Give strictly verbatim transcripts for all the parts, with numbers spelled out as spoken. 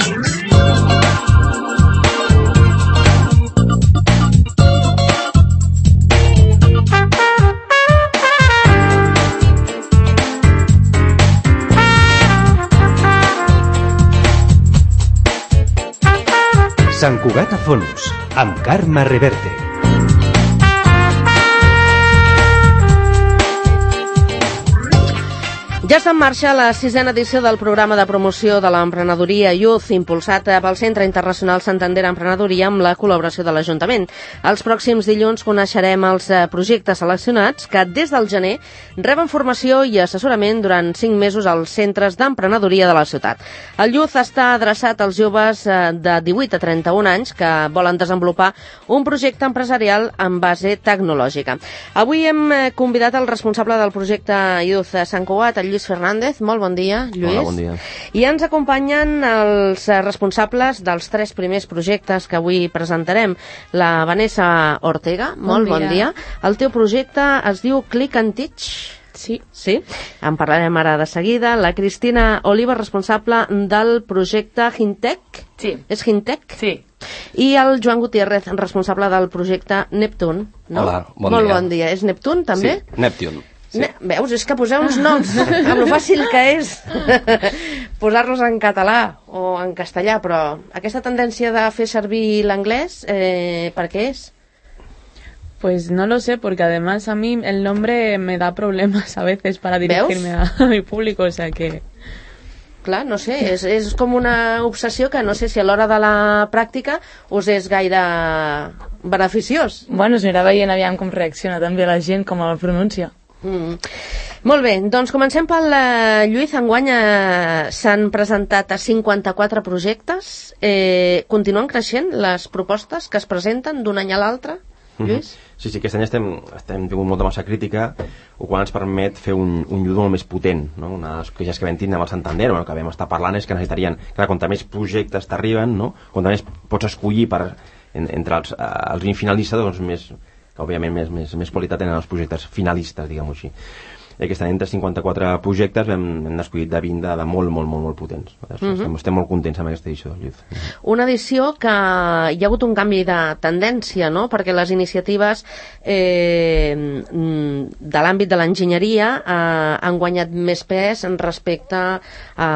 Sant Cugat a fons, amb Carme Reverte. Ja està en marxa la sisena edició del programa de promoció de l'emprenedoria Youth, impulsat pel Centre Internacional Santander Emprenedoria amb la col·laboració de l'Ajuntament. Els pròxims dilluns coneixerem els projectes seleccionats que des del gener reben formació i assessorament durant cinc mesos als centres d'emprenedoria de la ciutat. El Youth està adreçat als joves de divuit a trenta-un anys que volen desenvolupar un projecte empresarial en base tecnològica. Avui hem convidat el responsable del projecte Youth a Sant Cugat, el Lluís Fernández. Molt bon dia, Lluís. Hola, bon dia. I ens acompanyen els responsables dels tres primers projectes que avui presentarem. La Vanessa Ortega, molt bon dia. Bon dia. El teu projecte es diu Click and Teach. Sí. Sí? En parlarem ara de seguida. La Cristina Oliva, responsable del projecte Hintec. Sí. És Hintec? Sí. I el Joan Gutiérrez, responsable del projecte Neptune. No? Hola, bon molt dia. Bon dia. És Neptune, també? Sí, Neptune. Sí. Ne Veus, és que poseu uns noms amb lo fàcil que és posar-los en català o en castellà, però aquesta tendència de fer servir l'anglès, eh, ¿per qué es? Pues no lo sé, porque además a mí el nombre me da problemas a veces para dirigirme a, a mi público, o sea que... Clar, no sé, és, és com una obsessió que no sé si a l'hora de la pràctica us és gaire beneficiós. Bueno, s'anirà veient aviam com reacciona també la gent, com el pronuncia. Mm. Molt bé, doncs comencem pel uh, Lluís. Enguany uh, s'han presentat a cinquanta-quatre projectes. Eh, continuen creixent les propostes que es presenten d'un any a l'altre, Lluís? Mm-hmm. Sí, sí, aquest any estem, estem tingut molta massa crítica, el qual ens permet fer un, un llud molt més potent, no? Una de les queixes que vam tindre amb el Santander, bueno, que vam estar parlant, és que necessitarien, clar, quanta més projectes t'arriben, no? Quanta més pots escollir per, en, entre els, uh, els vint finalistes, doncs més, que òbviament més, més, més qualitat tenen els projectes finalistes, diguem-ho així. I aquest any entre cinquanta-quatre projectes hem, hem escollit de vint de, de molt, molt, molt, molt potents. Mm-hmm. estem, estem molt contents amb aquesta edició del Youth. Una edició que hi ha hagut un canvi de tendència, no? Perquè les iniciatives eh, de l'àmbit de l'enginyeria eh, han guanyat més pes respecte a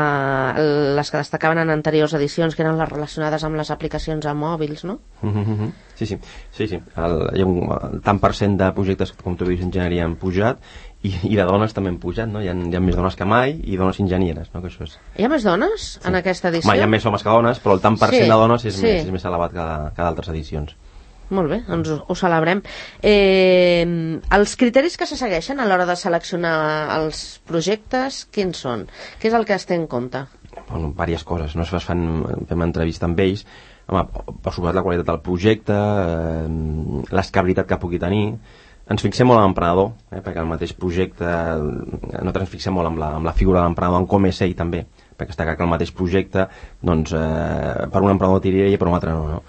les que destacaven en anteriors edicions, que eren les relacionades amb les aplicacions a mòbils, no? Mm-hmm. Sí, sí, sí, sí. El, hi ha un el tant per cent de projectes que, com tu dius, enginyeria han pujat, i, i de dones també han pujat, no? Hi ha, hi ha més dones que mai i dones enginyeres, no? Que això és... Hi ha més dones sí. en aquesta edició? Home, hi ha més homes que dones, però el tant per cent sí, de dones és, sí. més, és més elevat que, que d'altres edicions. Molt bé, doncs ho, ho celebrem. Eh, els criteris que se segueixen a l'hora de seleccionar els projectes, quins són? Què és el que es té en compte? Bueno, diverses coses, no? Es fan, fem entrevista amb ells, home, per suposar la qualitat del projecte, eh, l'escabilitat que pugui tenir. Ens fixem molt en l'emprenedor, eh, perquè el mateix projecte, nosaltres ens fixem molt amb la, amb la figura de l'emprenedor, en com és ell també, perquè està clar que el mateix projecte, doncs, eh, per un emprenedor tiraria i per un altre no, no?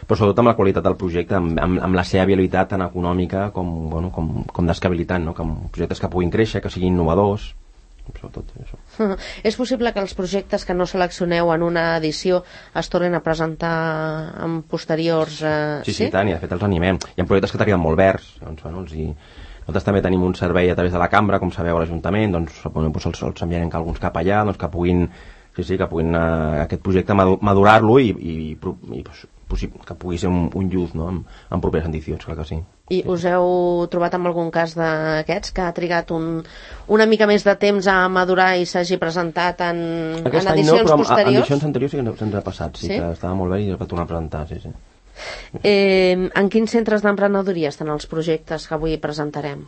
Però sobretot amb la qualitat del projecte, amb, amb, amb la seva habilitat tant econòmica com, bueno, com, com d'escabilitat, no? Com projectes que puguin créixer, que siguin innovadors, sobretot això. Uh, és possible que els projectes que no seleccioneu en una edició es tornin a presentar en posteriors... Uh, sí, sí, sí, tant, i de fet els animem. Hi ha projectes que t'arriben molt verds, doncs, bueno, els hi... Nosaltres també tenim un servei a través de la cambra, com sabeu, a l'Ajuntament, doncs, doncs els, els enviarem alguns cap allà, doncs, que puguin, sí, sí, que puguin uh, aquest projecte madurar-lo i, i, i, i possible, que pugui ser un, un youth, no?, en, en properes edicions, clar que sí. I us heu trobat amb algun cas d'aquests que ha trigat un, una mica més de temps a madurar i s'hagi presentat en, en edicions no, però posteriors? En edicions anteriors sí que se'ns ha passat, sí, sí, que estava molt bé i es va tornar a presentar, sí, sí. Eh, en quins centres d'emprenedoria estan els projectes que avui presentarem?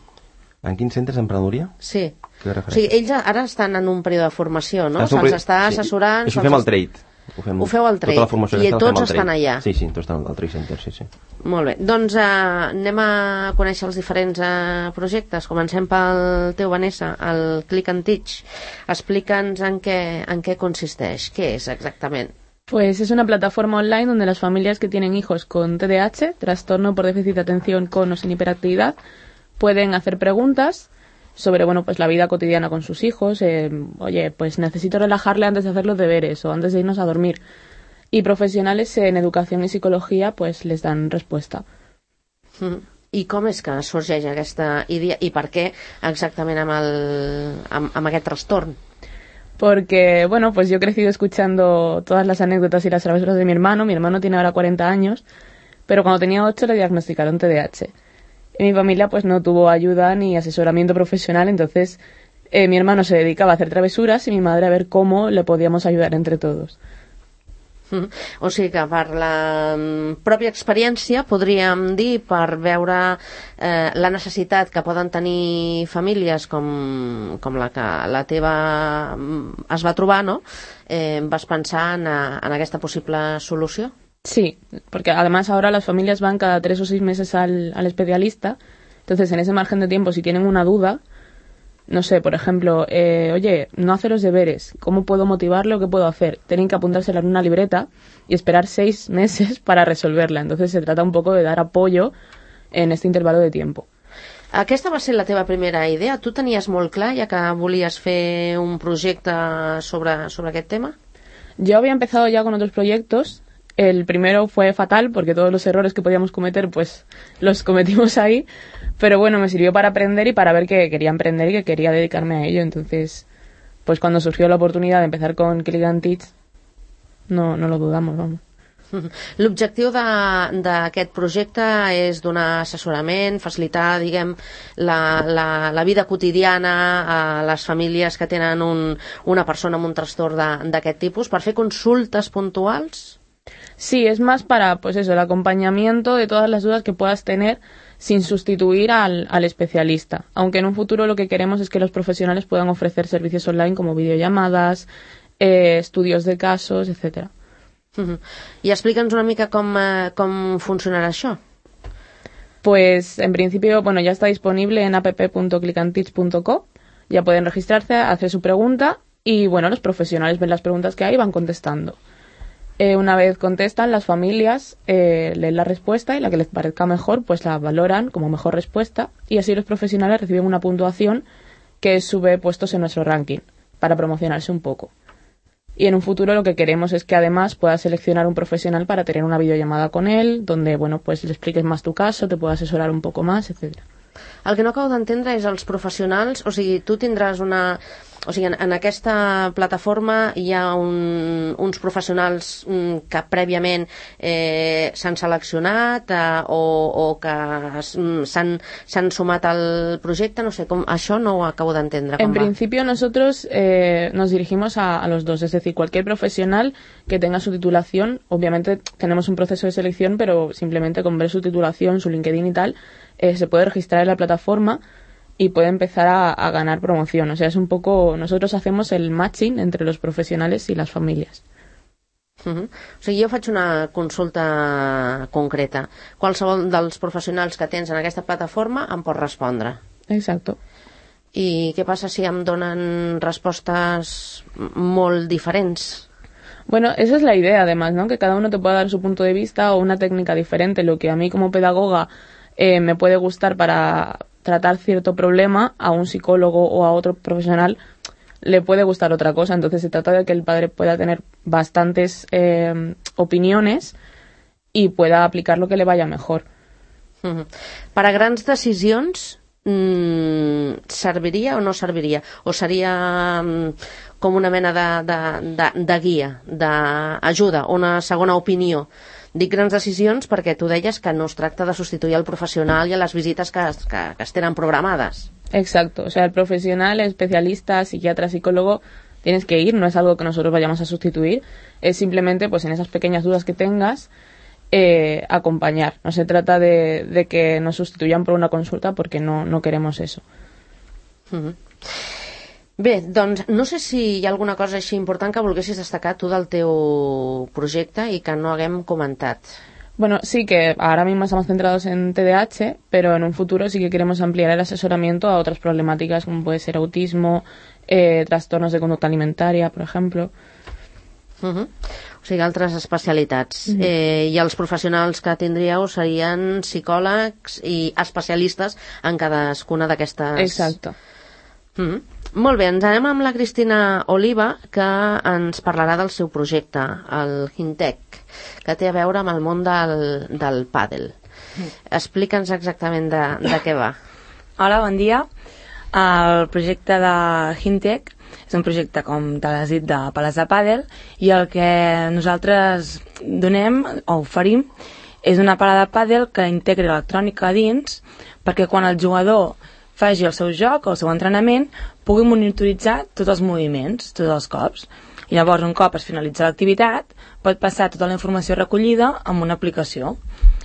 En quins centres d'emprenedoria? Sí. O sigui, ells ara estan en un període de formació, no? Se'ls està assessorant... Sí, això fem el trade. Ho, fem, ho feu al trade, i tots estan allà. Sí, sí, tots estan al trade center, sí, sí. Molt bé, doncs eh, anem a conèixer els diferents eh, projectes. Comencem pel teu, Vanessa, el Click and Teach. Explica'ns en què, en què consisteix, què és exactament. Pues es una plataforma online donde las familias que tienen hijos con T D A H, trastorno por déficit de atención con o sin hiperactividad, pueden hacer preguntas sobre, bueno, pues la vida cotidiana con sus hijos. Eh, oye, pues necesito relajarle antes de hacer los deberes o antes de irnos a dormir. y profesionales en educación y psicología pues les dan respuesta. Mm. I com és que sorgeix aquesta idea i per què exactament amb, el, amb, amb aquest trastorn? Porque, bueno, pues yo he crecido escuchando todas las anécdotas y las travesuras de mi hermano. Mi hermano tiene ahora cuarenta años, pero cuando tenía ocho le diagnosticaron T D A H. Y mi familia pues no tuvo ayuda ni asesoramiento profesional, entonces eh, mi hermano se dedicaba a hacer travesuras y mi madre a ver cómo le podíamos ayudar entre todos. Mm. O sigui que per la pròpia experiència podríem dir, per veure eh, la necessitat que poden tenir famílies com, com la que la teva es va trobar, no? Eh, vas pensar en, en aquesta possible solució? Sí, porque además ahora las familias van cada tres o seis meses al, al especialista, entonces en ese margen de tiempo si tienen una duda, no sé, por ejemplo, eh, oye, no hace los deberes, ¿cómo puedo motivarlo? ¿Qué puedo hacer? Tienen que apuntársela en una libreta y esperar seis meses para resolverla. Entonces se trata un poco de dar apoyo en este intervalo de tiempo. Aquesta va ser la teva primera idea? Tu tenies molt clar, ja que volies fer un projecte sobre, sobre aquest tema? Yo había empezado ya con otros proyectos. El primero fue fatal porque todos los errores que podíamos cometer pues los cometimos ahí, pero bueno, me sirvió para aprender y para ver que quería emprender y que quería dedicarme a ello. Entonces, pues cuando surgió la oportunidad de empezar con Click and Teach, no, no lo dudamos, vamos. L'objectiu d'aquest projecte és donar assessorament, facilitar, diguem, la, la, la vida quotidiana a les famílies que tenen un, una persona amb un trastorn d'aquest tipus, per fer consultes puntuals? Sí, es más para, pues eso, el acompañamiento de todas las dudas que puedas tener sin sustituir al, al especialista. Aunque en un futuro lo que queremos es que los profesionales puedan ofrecer servicios online como videollamadas, eh, estudios de casos, etcétera. Uh-huh. I explica'ns una mica com, eh, com funcionarà això. Pues en principio, bueno, ya está disponible en app punto click and teach punto co. Ya pueden registrarse, hacer su pregunta y bueno, los profesionales ven las preguntas que hay y van contestando. Eh, una vez contestan, las familias eh, leen la respuesta y la que les parezca mejor, pues la valoran como mejor respuesta y así los profesionales reciben una puntuación que sube puestos en nuestro ranking para promocionarse un poco. Y en un futuro lo que queremos es que además puedas seleccionar un profesional para tener una videollamada con él, donde bueno, pues le expliques más tu caso, te pueda asesorar un poco más, etcétera. El que no acabo d'entendre és els professionals, o sigui, tu tindràs una... O sigui, en, en aquesta plataforma hi ha un, uns professionals mm, que prèviament eh, s'han seleccionat eh, o, o que s'han sumat al projecte, no sé, com, això no ho acabo d'entendre. En principio nosotros eh, nos dirigimos a, a los dos, es decir, cualquier profesional que tenga su titulación, obviamente tenemos un proceso de selección, pero simplemente con ver su titulación, su LinkedIn y tal, eh, se puede registrar en la plataforma y puede empezar a, a ganar promoción. O sea, es un poco... Nosotros hacemos el matching entre los profesionales y las familias. Uh-huh. O sigui, jo faig una consulta concreta. Qualsevol dels professionals que tens en aquesta plataforma em pot respondre. Exacto. I què passa si em donen respostes molt diferents? Bueno, esa es la idea, además, ¿no? Que cada uno te pueda dar su punto de vista o una técnica diferente. Lo que a mí como pedagoga eh, me puede gustar para tratar cierto problema, a un psicólogo o a otro profesional le puede gustar otra cosa. Entonces se trata de que el padre pueda tener bastantes eh, opiniones y pueda aplicar lo que le vaya mejor. Uh-huh. Per a grans decisions mmm, serviria o no serviria? O seria mmm, com una mena de, de, de, de guia, d'ajuda, una segona opinió? Dic grans decisions perquè tu deies que no es tracta de substituir el profesional i a les visites que, que, que es tenen programades. Exacto, o sea, el profesional, el especialista, psiquiatra, psicólogo, tienes que ir, no es algo que nosotros vayamos a sustituir, es simplemente pues en esas pequeñas dudas que tengas, eh, acompañar. No se trata de, de que nos sustituyan por una consulta porque no, no queremos eso. Uh-huh. Bé, doncs no sé si hi ha alguna cosa així important que volguessis destacar tu del teu projecte i que no haguem comentat. Bueno, sí que ahora mismo estamos centrados en T D A H, pero en un futuro sí que queremos ampliar el asesoramiento a otras problemáticas como puede ser autismo, eh, trastornos de conducta alimentaria, por ejemplo. Uh-huh. O sigui, altres especialitats. Uh-huh. eh, I els professionals que tindríeu serien psicòlegs i especialistes en cadascuna d'aquestes... Exacto. Uh-huh. Molt bé, ens anem amb la Cristina Oliva, que ens parlarà del seu projecte, el Hintec, que té a veure amb el món del, del pàdel. Explica'ns exactament de, de què va. Hola, bon dia. El projecte de Hintec és un projecte, com te l'has dit, de pales de pàdel, i el que nosaltres donem o oferim és una pala de pàdel que integri electrònica a dins, perquè quan el jugador faci el seu joc o el seu entrenament pugui monitoritzar tots els moviments, tots els cops. I llavors, un cop es finalitza l'activitat, pot passar tota la informació recollida amb una aplicació.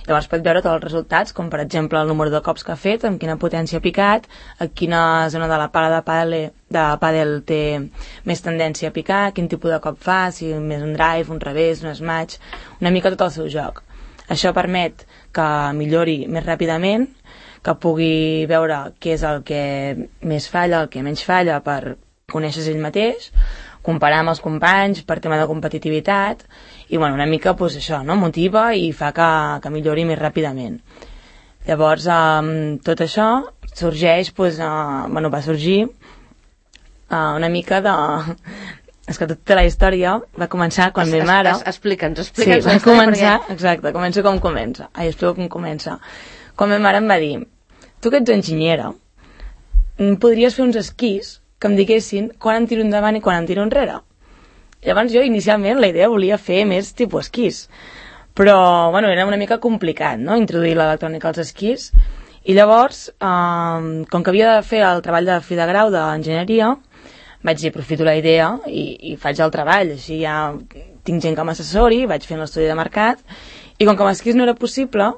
Llavors pot veure tots els resultats, com per exemple el número de cops que ha fet, amb quina potència ha picat, a quina zona de la pala de pàdel, de pàdel té més tendència a picar, quin tipus de cop fa, si més un drive, un revés, un smash, una mica tot el seu joc. Això permet que millori més ràpidament, que pugui veure què és el que més falla, el que menys falla, per conèixer-se ell mateix, comparar amb els companys per tema de competitivitat, i bueno, una mica pues, això, no? Motiva i fa que, que millori més ràpidament. Llavors, eh, tot això sorgeix, pues, eh, bueno, va sorgir eh, una mica de... És que tota la història va començar quan es, ma mare... Es, es, explica'ns, explica'ns. Sí, va començar, perquè... exacte, començo com comença. Ai, explico com comença. Quan ma mare em va dir, tu que ets enginyera, podries fer uns esquís que em diguessin quan em tiro endavant i quan em tiro enrere. Llavors jo inicialment la idea volia fer més tipus esquís, però bueno, era una mica complicat, no?, introduir l'electrònica als esquís, i llavors eh, com que havia de fer el treball de fi de grau d'enginyeria, vaig dir, aprofito la idea i, i faig el treball, així ja tinc gent que m'assessori, vaig fent l'estudi de mercat, i com que amb esquís no era possible,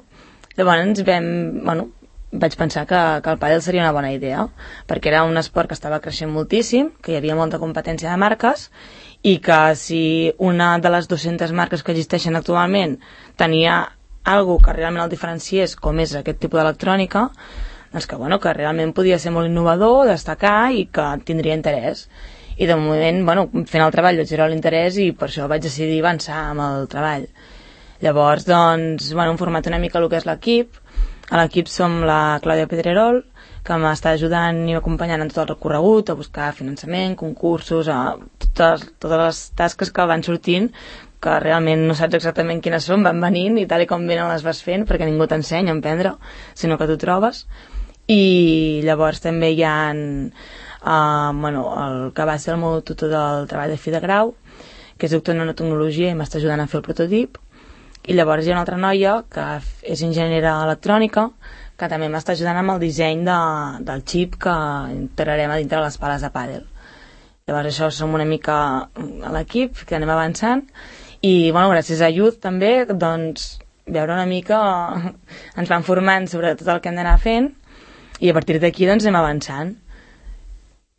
llavors vam, bueno, vaig pensar que, que el pàdel seria una bona idea, perquè era un esport que estava creixent moltíssim, que hi havia molta competència de marques, i que si una de les dues-centes marques que existeixen actualment tenia alguna que realment el diferenciés, com és aquest tipus d'electrònica, doncs que, bueno, que realment podia ser molt innovador, destacar i que tindria interès. I de moment, bueno, fent el treball vaig veure l'interès i per això vaig decidir avançar amb el treball. Llavors, doncs, bueno, hem format una mica el que és l'equip. A l'equip som la Clàudia Pedrerol, que m'està ajudant i acompanyant en tot el recorregut, a buscar finançament, concursos, a totes, totes les tasques que van sortint, que realment no saps exactament quines són, van venint i tal i com venen les vas fent, perquè ningú t'ensenya a emprendre, sinó que tu trobes. I llavors també hi ha uh, bueno, el que va ser el meu tutor del treball de fi de grau, que és doctor en nanotecnologia i m'està ajudant a fer el prototip. I llavors hi ha una altra noia que és enginyera electrònica, que també m'està ajudant amb el disseny de, del xip que integrarem a dintre de les pales de pàdel. Llavors això som una mica a l'equip, que anem avançant, i bueno, gràcies a Youth també, doncs, veure una mica, ens van formant sobre tot el que hem d'anar fent, i a partir d'aquí doncs anem avançant.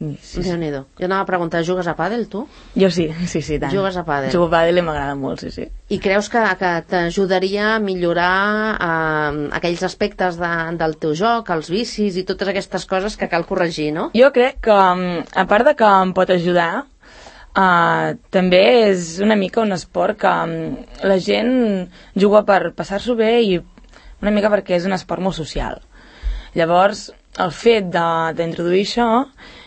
Sí, sí. Déu-n'hi-do. Jo anava a preguntar, jugues a pàdel, tu? Jo sí, sí, sí, tant. Jugues a pàdel. Jugo a pàdel i m'agrada molt, sí, sí. I creus que, que t'ajudaria a millorar eh, aquells aspectes de, del teu joc, els vicis i totes aquestes coses que cal corregir, no? Jo crec que, a part de que em pot ajudar, eh, també és una mica un esport que la gent juga per passar-s'ho bé i una mica perquè és un esport molt social. Llavors, el fet d'introduir això,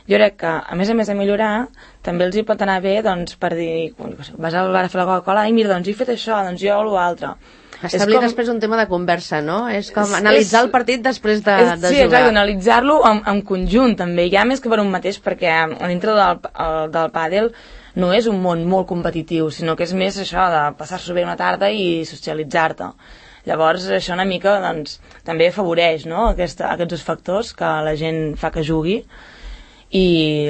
jo crec que, a més a més de millorar, també els hi pot anar bé, doncs, per dir, vas al bar a fer la Coca-Cola, i mira, doncs he fet això, doncs jo o l'altre. Establir com... després un tema de conversa, no? És com analitzar és... el partit després de, és, de sí, jugar. Sí, exacte, analitzar-lo en, en conjunt, també, ja més que per un mateix, perquè a dintre del, el, del pàdel no és un món molt competitiu, sinó que és més això de passar-s'ho bé una tarda i socialitzar-te. Llavors, això una mica, doncs, també afavoreix, no?, Aquesta, aquests dos factors que la gent fa que jugui. I,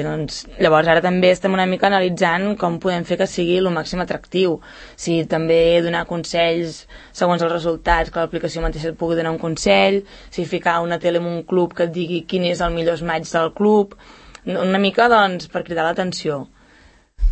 doncs, llavors ara també estem una mica analitzant com podem fer que sigui el màxim atractiu. Si també donar consells segons els resultats, que l'aplicació mateixa et pugui donar un consell, si ficar una tele en un club que et digui quin és el millor match del club, una mica, doncs, per cridar l'atenció.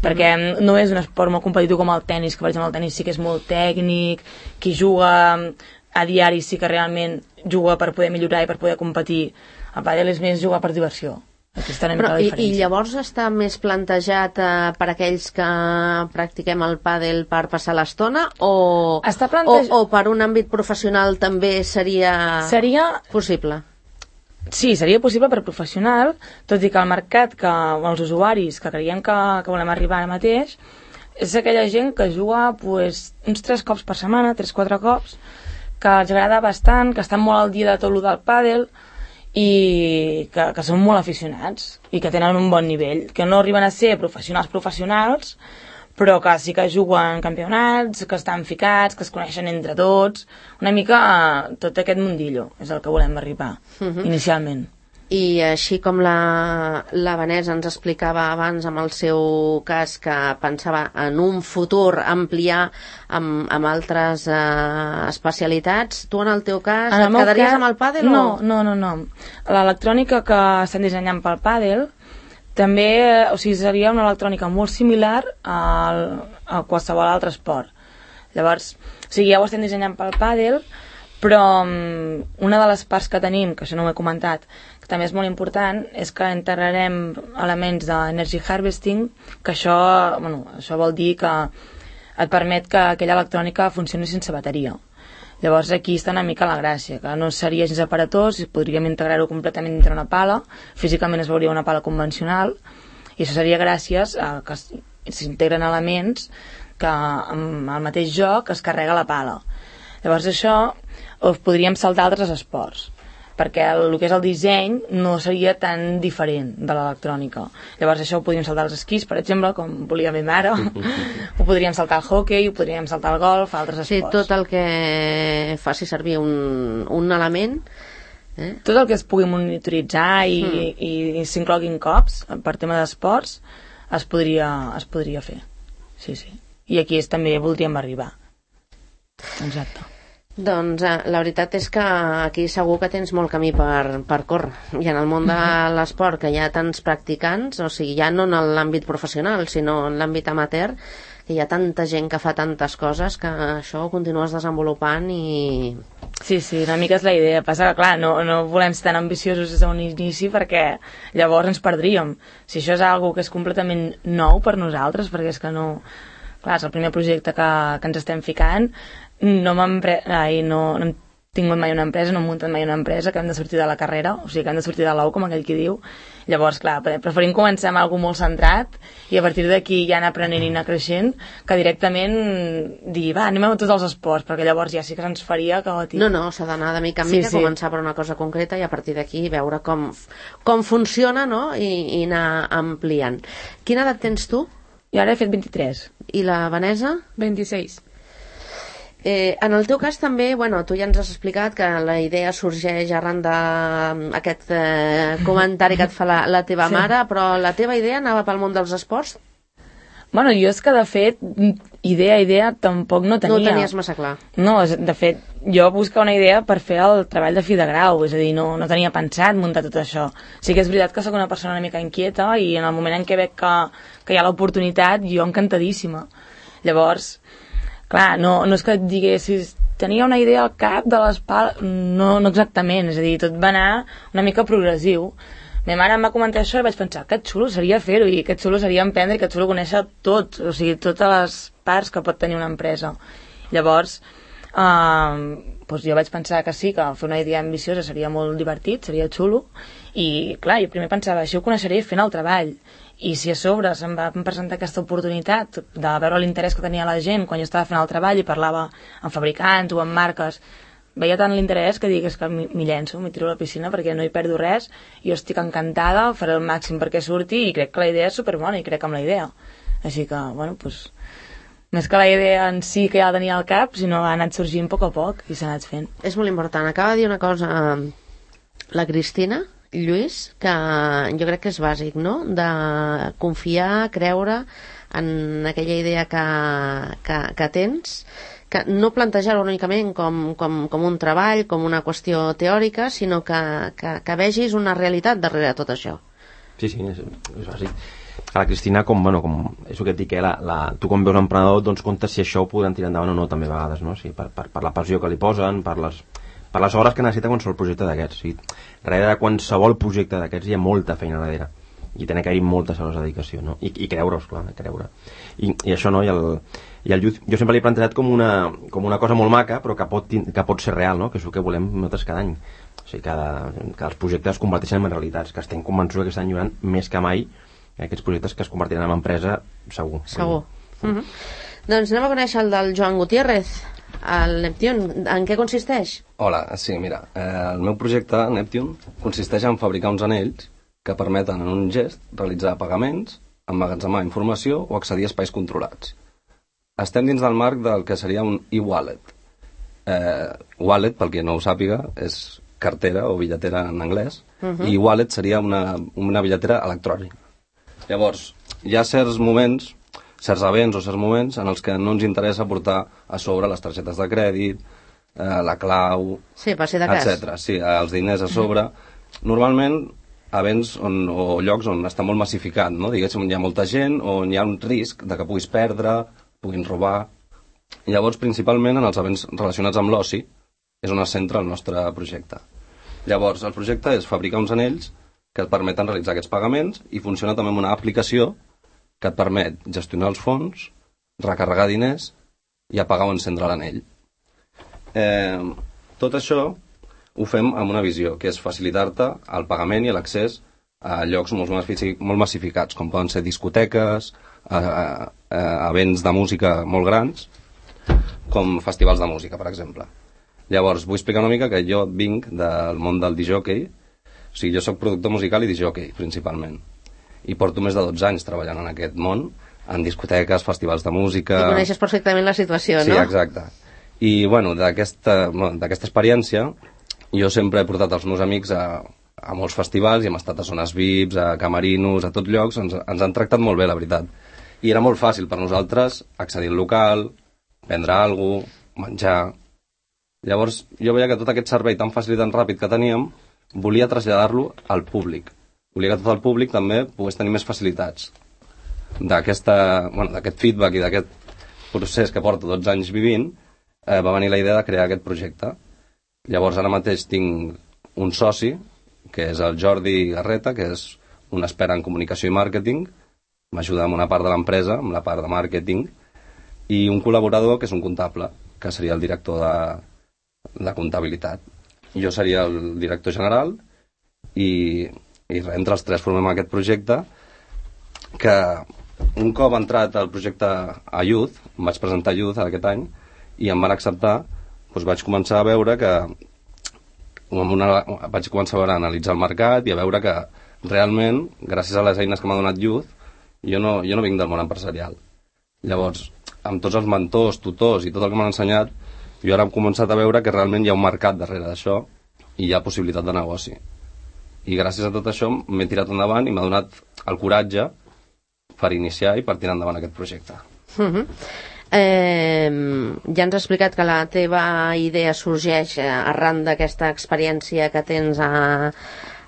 Perquè no és un esport molt competitiu com el tennis, que per exemple el tennis sí que és molt tècnic, qui juga a diari sí que realment juga per poder millorar i per poder competir. El pàdel és més jugar per diversió. Aquesta una mica la diferència. I, I llavors està més plantejat eh, per aquells que practiquem el pàdel per passar l'estona o, plantej... o, o per un àmbit professional també seria, seria... possible? Sí, seria possible per professional, tot i que el mercat, que els usuaris que creiem que, que volem arribar ara mateix, és aquella gent que juga pues, uns tres cops per setmana, tres quatre cops, que els agrada bastant, que estan molt al dia de tot el del pàdel i que, que són molt aficionats i que tenen un bon nivell, que no arriben a ser professionals professionals, però que sí que juguen campionats, que estan ficats, que es coneixen entre tots, una mica eh, tot aquest mundillo és el que volem arribar, uh-huh. inicialment. I així com la, la Vanessa ens explicava abans amb el seu cas que pensava en un futur ampliar amb, amb altres eh, especialitats, tu en el teu cas en el et quedaries cas, amb el pàdel? No, o... no, no, no. L'electrònica que estem dissenyant pel pàdel també, o sigui, seria una electrònica molt similar al, a qualsevol altre esport. Llavors, o sigui, ja ho estem dissenyant pel pàdel, però um, una de les parts que tenim, que això no ho he comentat, que també és molt important, és que integrarem elements d'energy harvesting, que això, bueno, això vol dir que et permet que aquella electrònica funcioni sense bateria. Llavors aquí està una mica la gràcia, que no seria gens aparatós, podríem integrar-ho completament dintre una pala, físicament es veuria una pala convencional, i això seria gràcies a que s'integren elements que amb el mateix joc es carrega la pala. Llavors això ho podríem saltar a altres esports, perquè el, el que és el disseny no seria tan diferent de l'electrònica. Llavors això ho podríem saltar als esquís, per exemple, com volia la meva mare, ho podríem saltar al hockey, ho podríem saltar al golf, a altres esports. Sí, tot el que faci servir un, un element... Eh? Tot el que es pugui monitoritzar i, mm. i, i s'incloguin cops per tema d'esports es podria, es podria fer. Sí, sí. I aquí és, també voldríem arribar. Exacte. Doncs eh, la veritat és que aquí segur que tens molt camí per, per córrer. I en el món de l'esport, que hi ha tants practicants, o sigui, ja no en l'àmbit professional, sinó en l'àmbit amateur, que hi ha tanta gent que fa tantes coses que això ho continues desenvolupant i... Sí, sí, una mica és la idea. Passa que, clar, no, no volem ser tan ambiciosos des d'un inici perquè llavors ens perdríem. Si això és algo que és completament nou per nosaltres, perquè és que no... Clar, és el primer projecte que, que ens estem ficant, no m'hem pre... Ai, no, no hem tingut mai una empresa, no hem muntat mai una empresa, que hem de sortir de la carrera, o sigui, que hem de sortir de l'ou, com aquell qui diu. Llavors, clar, preferim començar amb alguna molt centrat i a partir d'aquí ja anar aprenent i anar creixent, que directament dir, va, anem a tots els esports, perquè llavors ja sí que se'ns faria caòtic. No, no, s'ha d'anar de mica en mica, sí, sí. Començar per una cosa concreta i a partir d'aquí veure com, com funciona, no?, I, i anar ampliant. Quina edat tens tu? Jo ara he fet vint-i-tres. I la Vanessa? vint-i-sis. Eh, en el teu cas també, bueno, tu ja ens has explicat que la idea sorgeix arran d'aquest eh, comentari que et fa la, la teva sí. mare, però la teva idea anava pel món dels esports? Bueno, jo és que de fet, idea, idea, tampoc no tenia. No ho tenies massa clar. No, de fet, jo buscava una idea per fer el treball de fi de grau, és a dir, no, no tenia pensat muntar tot això. Sí que és veritat que sóc una persona una mica inquieta i en el moment en què veig que, que hi ha l'oportunitat, jo encantadíssima. Llavors, clar, no, no és que et diguessis tenia una idea al cap de les pales, no, no exactament, és a dir, tot va anar una mica progressiu. Ma mare em va comentar això i vaig pensar que xulo seria fer-ho i que xulo seria emprendre i que xulo conèixer tot, o sigui, totes les parts que pot tenir una empresa. Llavors, eh, doncs jo vaig pensar que sí, que fer una idea ambiciosa seria molt divertit, seria xulo, i clar, jo primer pensava, això ho coneixeré fent el treball, i si a sobre se'm va presentar aquesta oportunitat de veure l'interès que tenia la gent quan jo estava fent el treball i parlava amb fabricants o amb marques, veia tant l'interès que dic, és que m'hi llenço, m'hi tiro a la piscina perquè no hi perdo res, jo estic encantada, faré el màxim perquè surti i crec que la idea és superbona i crec en la idea. Així que, bueno, doncs, més que la idea en si que ja la tenia al cap, sinó ha anat sorgint a poc a poc i s'ha anat fent. És molt important. Acaba de dir una cosa la Cristina, Lluís, que jo crec que és bàsic, no?, de confiar, creure en aquella idea que, que, que tens, que no plantejar-ho únicament com, com, com un treball, com una qüestió teòrica, sinó que, que, que vegis una realitat darrere tot això. Sí, sí, és, és bàsic. A la Cristina, com, bueno, com és el que et dic, eh, la, la, tu com veus un emprenedor, doncs comptes si això ho podran tirar endavant o no, també a vegades, no? Sí, per, per, per la passió que li posen, per les, per les hores que necessita qualsevol projecte d'aquests. Sí. Darrere de qualsevol projecte d'aquests hi ha molta feina darrere. I tenen que haver moltes hores de dedicació, no? I, i creure-us, clar, creure. I, i això, no? I el, i el youth, jo sempre l'he plantejat com una, com una cosa molt maca, però que pot, que pot ser real, no? Que és el que volem nosaltres cada any. O sigui, que, que els projectes es converteixen en realitats, que estem convençuts que estan llorant més que mai aquests projectes que es convertiran en empresa, segur. Segur. Mm -hmm. Doncs anem a conèixer el del Joan Gutiérrez, el Neptune. En què consisteix? Hola, sí, mira, eh, el meu projecte, Neptune, consisteix en fabricar uns anells que permeten en un gest realitzar pagaments, emmagatzemar informació o accedir a espais controlats. Estem dins del marc del que seria un e-wallet. Eh, wallet, pel que no ho sàpiga, és cartera o bitlletera en anglès, uh-huh. i wallet seria una, una bitlletera electrònica. Llavors, hi ha certs moments, certs events o certs moments en els que no ens interessa portar a sobre les targetes de crèdit, eh, la clau, sí, per si de cas. etcètera. Sí, els diners a sobre. Normalment, events on, o llocs on està molt massificat, no? Diguéssim, hi ha molta gent, on hi ha un risc de que puguis perdre, puguin robar. Llavors, principalment, en els events relacionats amb l'oci, és on es centra el nostre projecte. Llavors, el projecte és fabricar uns anells que et permeten realitzar aquests pagaments i funciona també amb una aplicació que et permet gestionar els fons, recarregar diners i apagar o encendre l'anell. Eh, tot això ho fem amb una visió, que és facilitar-te el pagament i l'accés a llocs molt, molt massificats, com poden ser discoteques, a, a, a events de música molt grans, com festivals de música, per exemple. Llavors, vull explicar una mica que jo vinc del món del disc-jockey, o sigui, jo sóc productor musical i disc-jockey, principalment. I porto més de dotze anys treballant en aquest món, en discoteques, festivals de música... I coneixes perfectament la situació, no? Sí, exacte. I, bueno, d'aquesta bueno, d'aquesta experiència, jo sempre he portat els meus amics a, a molts festivals i hem estat a zones V I Ps, a camerinos, a tots llocs, ens, ens han tractat molt bé, la veritat. I era molt fàcil per nosaltres accedir al local, prendre alguna cosa, menjar... Llavors, jo veia que tot aquest servei tan fàcil i tan ràpid que teníem, volia traslladar-lo al públic. Volia que tot el públic també pogués tenir més facilitats. D'aquesta, bueno, d'aquest feedback i d'aquest procés que porto dotze anys vivint, eh, va venir la idea de crear aquest projecte. Llavors, ara mateix tinc un soci, que és el Jordi Garreta, que és un expert en comunicació i màrqueting, m'ajuda amb una part de l'empresa, amb la part de màrqueting, i un col·laborador, que és un comptable, que seria el director de, de comptabilitat. Jo seria el director general i, i entre els tres formem aquest projecte que un cop entrat el projecte a Youth, em vaig presentar a Youth aquest any i em van acceptar, doncs vaig començar a veure que una, vaig començar a, veure, a analitzar el mercat i a veure que realment, gràcies a les eines que m'ha donat Youth, jo no, jo no vinc del món empresarial. Llavors, amb tots els mentors, tutors i tot el que m'han ensenyat, jo ara he començat a veure que realment hi ha un mercat darrere d'això i hi ha possibilitat de negoci. I gràcies a tot això m'he tirat endavant i m'ha donat el coratge per iniciar i per tirar endavant aquest projecte. Uh-huh. Eh, ja ens has explicat que la teva idea sorgeix arran d'aquesta experiència que tens a,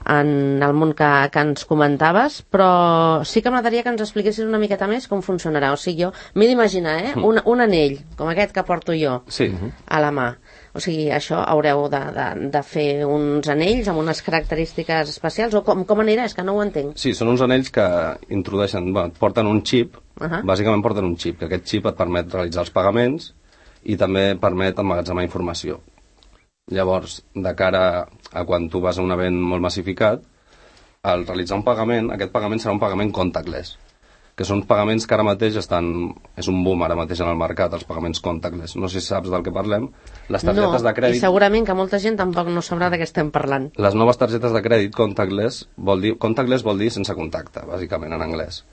en el món que, que ens comentaves, però sí que m'agradaria que ens expliquessis una miqueta més com funcionarà. O sigui, jo m'he d'imaginar, eh? Un, un anell, com aquest que porto jo, sí. a la mà. O sigui, això haureu de, de, de fer uns anells amb unes característiques especials, o com, com anirà? És que no ho entenc. Sí, són uns anells que introdueixen, bueno, porten un xip, uh-huh. bàsicament porten un xip, que aquest xip et permet realitzar els pagaments i també permet emmagatzemar informació. Llavors, de cara a quan tu vas a un event molt massificat, al realitzar un pagament, aquest pagament serà un pagament contactless, que són pagaments que ara mateix estan... És un boom ara mateix en el mercat, els pagaments contactless. No sé si saps del que parlem. Les targetes no, de crèdit... i segurament que molta gent tampoc no sabrà de què estem parlant. Les noves targetes de crèdit contactless vol dir... Contactless vol dir sense contacte, bàsicament, en anglès.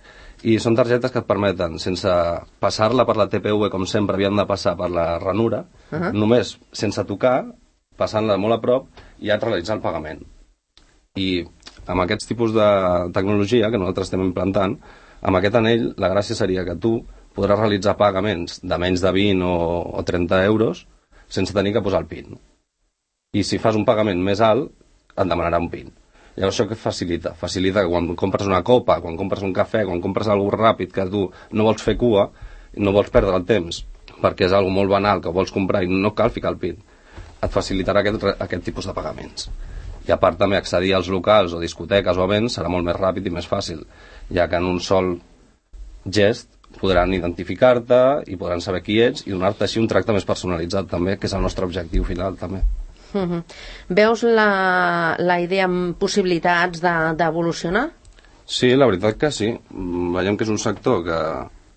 I són targetes que et permeten, sense passar-la per la T P V, com sempre havien de passar per la ranura, uh-huh. només sense tocar, passant-la molt a prop, ja et realitzar el pagament. I amb aquests tipus de tecnologia que nosaltres estem implantant, amb aquest anell la gràcia seria que tu podràs realitzar pagaments de menys de vint o, o trenta euros sense tenir que posar el PIN. I si fas un pagament més alt, et demanarà un PIN. Llavors això què facilita? Facilita que quan compres una copa, quan compres un cafè, quan compres alguna cosa ràpid que tu no vols fer cua, no vols perdre el temps, perquè és alguna molt banal que vols comprar i no cal ficar el PIN, et facilitarà aquest, aquest tipus de pagaments. I a part també accedir als locals o discoteques o events serà molt més ràpid i més fàcil, ja que en un sol gest podran identificar-te i podran saber qui ets i donar-te així un tracte més personalitzat també, que és el nostre objectiu final també. Uh-huh. Veus la, la idea amb possibilitats d'evolucionar? De, sí, la veritat que sí. Veiem que és un sector que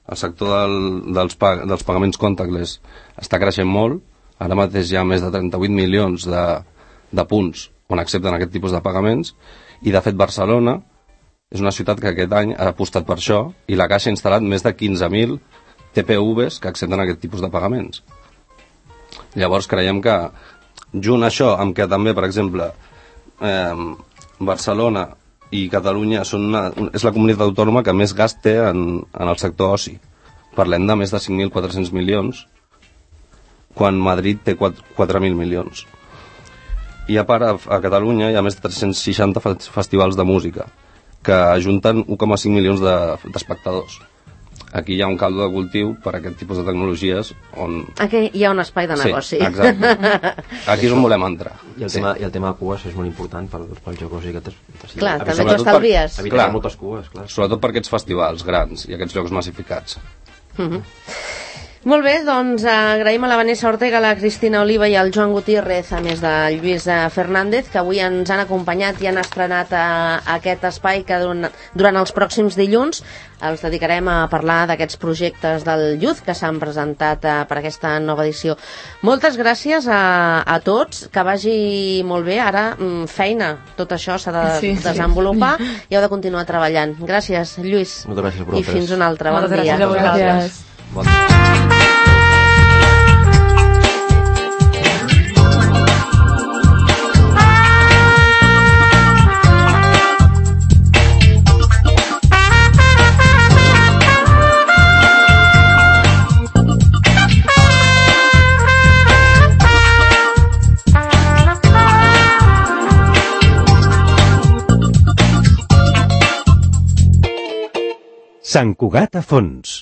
el sector del, dels, pag dels pagaments contactless està creixent molt. Ara mateix hi ha més de trenta-vuit milions de, de punts on accepten aquest tipus de pagaments, i de fet Barcelona és una ciutat que aquest any ha apostat per això, i la Caixa ha instal·lat més de quinze mil T P Vs que accepten aquest tipus de pagaments. Llavors creiem que junt això amb que també, per exemple, eh, Barcelona i Catalunya són una, és la comunitat autònoma que més gast té en, en el sector oci. Parlem de més de cinc mil quatre-cents milions, quan Madrid té quatre mil milions. I a part, a, a Catalunya hi ha més de tres-cents seixanta festivals de música, que ajunten un coma cinc milions d'espectadors. De, Aquí hi ha un caldo de cultiu per a aquest tipus de tecnologies on... Aquí hi ha un espai de negoci. Sí, exacte. Aquí és on volem entrar. I el, sí. tema, i el tema de cues és molt important pel, pel joc oci. Sí, clar, també t'ho estalvies. Per, evitar moltes cues, clar. Sobretot per aquests festivals grans i aquests llocs massificats. Uh-huh. Molt bé, doncs agraïm a la Vanessa Ortega, a la Cristina Oliva i al Joan Gutiérrez, a més del Lluís Fernández, que avui ens han acompanyat i han estrenat a, a aquest espai que durant, durant els pròxims dilluns els dedicarem a parlar d'aquests projectes del Youth que s'han presentat a, per aquesta nova edició. Moltes gràcies a, a tots, que vagi molt bé. Ara, feina, tot això s'ha de sí, desenvolupar sí. i heu de continuar treballant. Gràcies, Lluís. Moltes gràcies a vosaltres. I fins un altre. Bon Moltes dia. gràcies a vosaltres. Bon dia. Sant Cugat a fons.